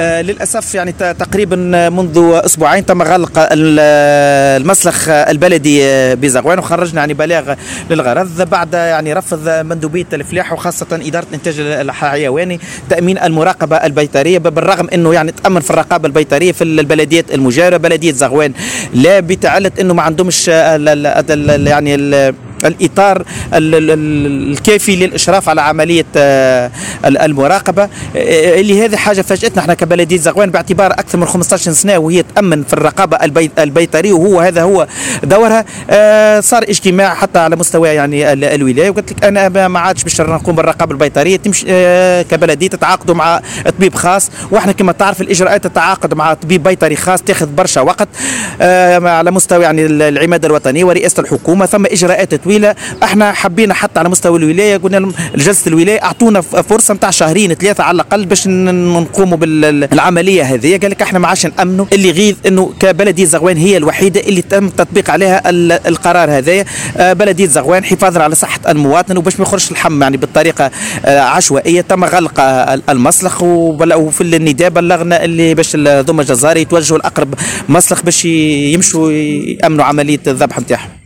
للاسف يعني تقريبا منذ اسبوعين تم غلق المسلخ البلدي بزغوان، وخرجنا يعني بلاغ للغرض بعد يعني رفض مندوبيه الفلاح وخاصة ادارة الانتاج الحيواني تامين المراقبة البيطريه، بالرغم انه يعني تامن في الرقابة البيطريه في البلديات المجاورة. بلديه زغوان لا، بتعلة انه ما عندهمش يعني الاطار الكافي للاشراف على عملية المراقبة، اللي هذه حاجة فاجاتنا احنا كبلديه زغوان باعتبار اكثر من 15 سنة وهي تامن في الرقابة البيطريه، وهو هذا هو دورها. صار اجتماع حتى على مستوى يعني الولاية، وقلت لك انا ما عادش باش نقوم بالرقابه البيطريه، تمشي كبلديه تتعاقدوا مع طبيب خاص، واحنا كما تعرف الاجراءات التعاقد مع طبيب بيطري خاص تاخذ برشا وقت على مستوى يعني العماده الوطنية ورئاسه الحكومة، ثم اجراءات طويلة. احنا حبينا حتى على مستوى الولاية، قلنا لهم جلسه الولاية اعطونا فرصة نتاع شهرين ثلاثة على الاقل باش نقوموا بالعملية هذه. قال لك احنا ما عادش نامنوا. اللي غيظ انه كبلديه زغوان هي الوحيدة اللي تم التطبيق عليها القرار هذايا. بلديه زغوان حفاظا على صحة المواطن وباش ما يخرجش اللحم يعني بالطريقة عشوائية تم غلق المسلخ، وفي النداء بلغنا اللي باش ذم الجزار يتوجهوا لاقرب مسلخ باش يمشوا يامنوا عملية الذبح نتاعهم.